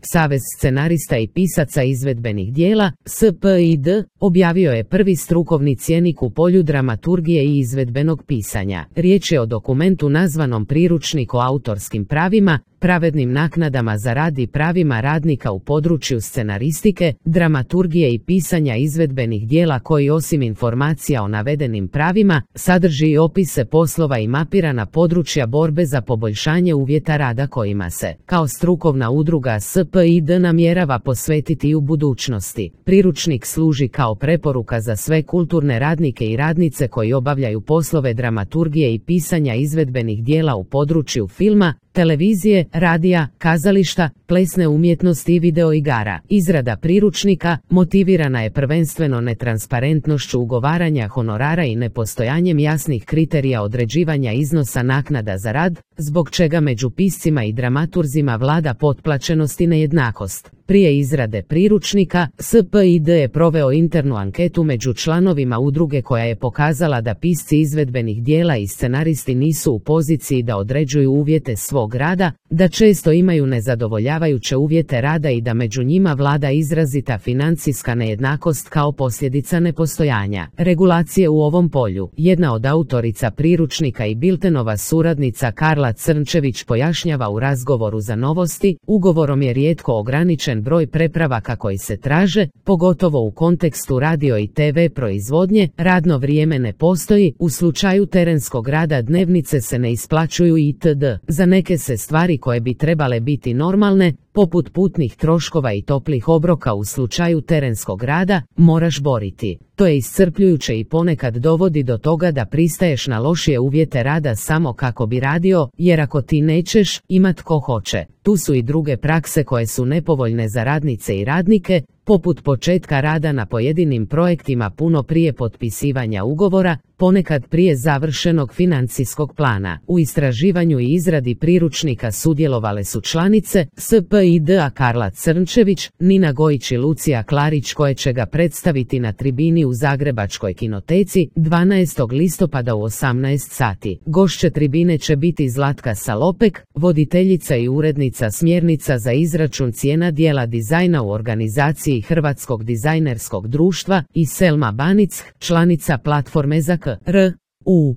Savez scenarista i pisaca izvedbenih dijela, SPID, objavio je prvi strukovni cjenik u polju dramaturgije i izvedbenog pisanja. Riječ je o dokumentu nazvanom Priručnik o autorskim pravima, pravednim naknadama za rad i pravima radnika u području scenaristike, dramaturgije i pisanja izvedbenih dijela, koji osim informacija o navedenim pravima, sadrži i opise poslova i mapirana područja borbe za poboljšanje uvjeta rada kojima se, kao strukovna udruga SPID, namjerava posvetiti i u budućnosti. Priručnik služi kao preporuka za sve kulturne radnike i radnice koji obavljaju poslove dramaturgije i pisanja izvedbenih dijela u području filma, televizije, radija, kazališta, plesne umjetnosti i videoigara. Izrada priručnika motivirana je prvenstveno netransparentnošću ugovaranja honorara i nepostojanjem jasnih kriterija određivanja iznosa naknada za rad, zbog čega među piscima i dramaturzima vlada potplaćenost i nejednakost. Prije izrade priručnika, SPID je proveo internu anketu među članovima udruge koja je pokazala da pisci izvedbenih dijela i scenaristi nisu u poziciji da određuju uvjete svog rada, da često imaju nezadovoljavajuće uvjete rada i da među njima vlada izrazita financijska nejednakost kao posljedica nepostojanja regulacije u ovom polju. Jedna od autorica priručnika i Biltenova suradnica Karla Crnčević pojašnjava u razgovoru za Novosti: ugovorom je rijetko ograničen broj prepravaka koji se traže, pogotovo u kontekstu radio i TV proizvodnje, radno vrijeme ne postoji, u slučaju terenskog rada dnevnice se ne isplaćuju itd. Za neke se stvari koje bi trebale biti normalne, poput putnih troškova i toplih obroka u slučaju terenskog rada, moraš boriti. To je iscrpljujuće i ponekad dovodi do toga da pristaješ na lošije uvjete rada samo kako bi radio, jer ako ti nećeš, ima tko hoće. Tu su i druge prakse koje su nepovoljne za radnice i radnike, poput početka rada na pojedinim projektima puno prije potpisivanja ugovora, ponekad prije završenog financijskog plana. U istraživanju i izradi priručnika sudjelovale su članice SPID-a Karla Crnčević, Nina Gojić i Lucija Klarić, koje će ga predstaviti na tribini u Zagrebačkoj kinoteci 12. listopada u 18 sati. Gošće tribine će biti Zlatka Salopek, voditeljica i urednica smjernica za izračun cijena dijela dizajna u organizaciji Hrvatskog dizajnerskog društva, i Selma Banic, članica platforme za KRUH,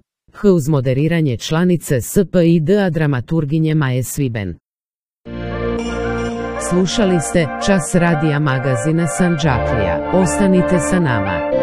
uz moderiranje članice SPID-a dramaturginje Maje Sviben. Slušali ste Čas radija magazina Sandžaklija. Ostanite sa nama.